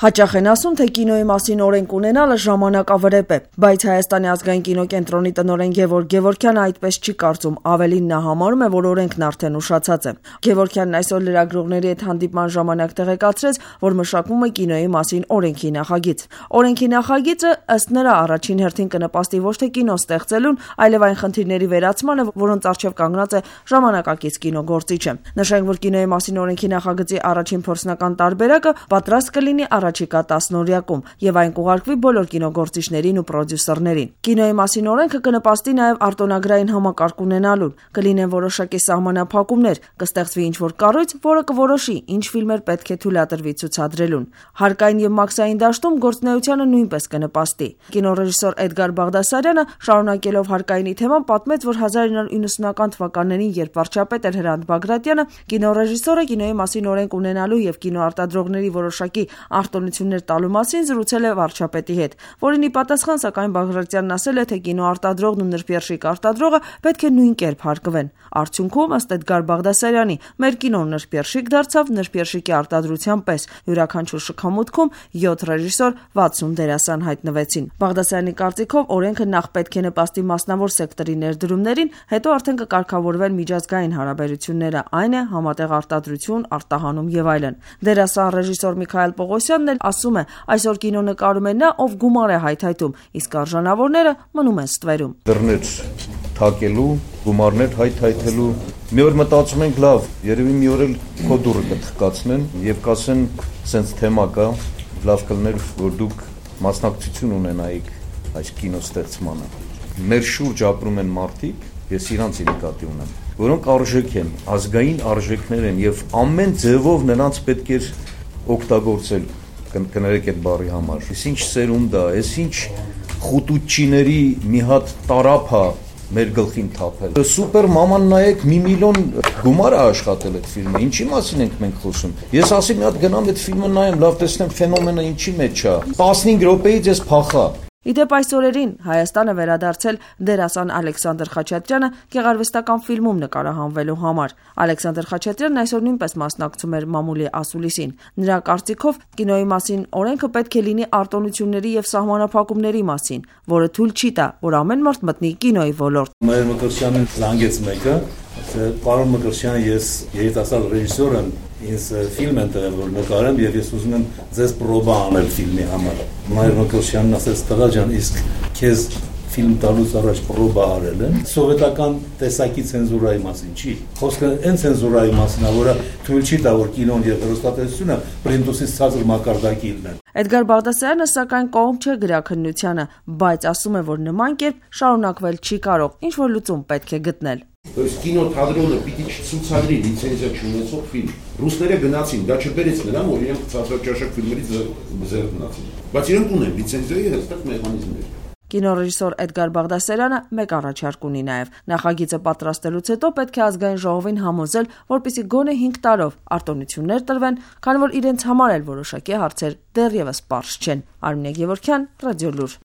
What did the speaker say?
Հաճախ են ասում, թե կինոյի մասին օրենք ունենալը ժամանակավրեպ է, բայց Հայաստանի ազգային կինոկենտրոնի տնօրեն Գևորգ Գևորգյանը այդպես չի կարծում, ավելին նա համարում է, որ օրենքն արդեն ուշացած է։ Գևորգյանն այսօր լրագրողների հետ հանդիպման ժամանակ տեղեկացրեց, որ մշակվում է կինոյի մասին օրենքի նախագիծ։ Օրենքի նախագիծը ըստ նրա առաջին հերթին կնպաստի ոչ թե կինո ստեղծելուն, այլև այն խնդիրների վերացմանը, որոնց առջև կանգնած է ժամանակակից կինոգործիչը։ Նշենք, որ կինոյի մասին օրենքի նախագծի առաջին փորձնական տարբերակը պատրաստ կլինի առաջիկա 10-օրյակում եւ այն կուղարկվի բոլոր կինոգործիչներին ու պրոդյուսերներին։ Կինոյի մասին օրենքը կնպաստի նաեւ արտոնագրային համակարգ ունենալուն, կլինեն որոշակի սահմանափակումներ, կստեղծվի ինչ-որ կառույց, որը կորոշի ինչ ֆիլմեր պետք է թույլատրվի ցուցադրելուն։ Հարկային եւ մաքսային դաշտում գործունեությանը նույնպես կնպաստի։ Կինոռեժիսոր Էդգար Բաղդասարյանը, շարունակելով հարկայինի թեման, պատմեց, որ 1990-ական թվականներին, երբ վարչապետ էր Հրանտ Բագրատյանը, կինոռեժիսորը կինոյի մասին օրենք ունենալու եւ կինոարտադրողների որոշակի արտոնություններ տալու մասին զրուցել է վարչապետի հետ, որին ի պատասխան սակայն Բաղրատյանն ասել է, թե կինոարտադրողն ու նրբերշիկ արտադրողը պետք է նույն կերպ հարգվեն։ Արդյունքում, ըստ Էդգար Բաղդասարյանի, մեր կինոն նրբերշիկ դարձավ նրբերշիկի արտադրության պես։ Յուրաքանչյուր շքամուտքում 7 ռեժիսոր, 60 դերասան հայտնվեցին։ Բաղդասարյանի կարծիքով օրենքը նախ պետք է նպաստի մասնավոր սեկտորի ներդրումներին, հետո արդեն կկարգավորվեն միջազգային հարաբերությունները, այն է համատեղ արտադրություն, արտահանում եւ այլն։ Դերասան ռեժիսոր Միքայել Պողոսյանն էլ ասում է, այսօր կինո նկարում է նա, ով գումար է հայթայթում, իսկ արժանավորները մնում են ստվերում։ Դռներ թակելու, գումարներ հայթայթելու։ Մի օր մտածում ենք, լավ, երևի մի օր էլ քո դուռը կթխկացնեն եւ կասեն, սենց թեմա կա, լավ կլներ, որ դուք մասնակցություն ունենայիք այս կինոստեղծմանը։ Մեր շուրջ ապրում են մարդիկ, ես իրանց նկատի ունեմ, որոնք արժեք են, ազգային արժեքներ են եւ ամեն ձևով նրանց պետք է օգտագործել, կներեք այդ բառի համար։ Այս ինչ սերունդ է, այս ինչ խուտուչիների մի հատ տարափ է մեր գլխին թափել։ Սուպեր մաման նայեք, 1 միլիոն գումար է աշխատել այդ ֆիլմը, ինչի մասին ենք մենք խոսում։ Ես ասի մի հատ գնամ այդ ֆիլմը նայեմ, լավ տեսնեմ ֆենոմենը ինչի մեջ է։ 15 րոպեից ես փախա։ Իդեպ այս օրերին Հայաստանը վերադարձել դերասան Ալեքսանդր Խաչատրյանը գեղարվեստական ֆիլմում նկարահանվելու համար։ Ալեքսանդր Խաչատրյանն այսօր նույնպես մասնակցում էր մամուլի ասուլիսին։ Նրա կարծիքով կինոյի մասին օրենքը պետք է լինի արտոնությունների եւ սահմանափակումների մասին, որը թույլ չի տա, որ ամեն մարդ մտնի կինոյի ոլորտ։ Մեր Մկրտչյանն զանգեց մեկը, պարոն Մկրտչյան, ես երիտասարդ ռեժիսոր եմ, ինձ ֆիլմ են տվել, որ նկարեմ եւ ես ուզում եմ ձեզ պրոբա անել ֆիլմի համար։ Մայր Մկրտչյանն ասեց, տղա ջան, իսկ քեզ ֆիլմ տալուց առաջ պրոբա արել են։ Սովետական տեսակի ցենզուրայի մասին չի։ Խոսքը այն ցենզուրայի մասին է, որը թույլ չի տա, որ կինոն եւ հեռուստատեսությունը պրինտուսից ցածր մակարդակի լինեն։ Էդգար Բաղդասարյանը սակայն կողմ չէ գրաքննությանը, բայց ասում է, որ նման կերպ շարունակվել չի կարող, ինչ որ լուծում պետք է գտնել։ То есть կինոթատրոնը պիտի չցուցադրի լիցենզիա չունեցող ֆիլմ։ Ռուսները գնացին, դա չբերեց նրան, որ իրենք ցածրաճաշակ ֆիլմերից զերծ մնացին։ Բայց իրենք ունեն լիցենզիայի հստակ մեխանիզմներ։ Կինոռեժիսոր Էդգար Բաղդասարյանը մեկ առաջարկ ունի նաև։ Նախագիծը պատրաստելուց հետո պետք է ազգային ժողովին համոզել, որպեսզի գոնե 5 տարով արտոնություններ տրվեն, քանի որ իրենց համար էլ որոշակի հարցեր դեռևս պարզ չեն։ Արմինե Գևորգյան, Ռադիոլուր։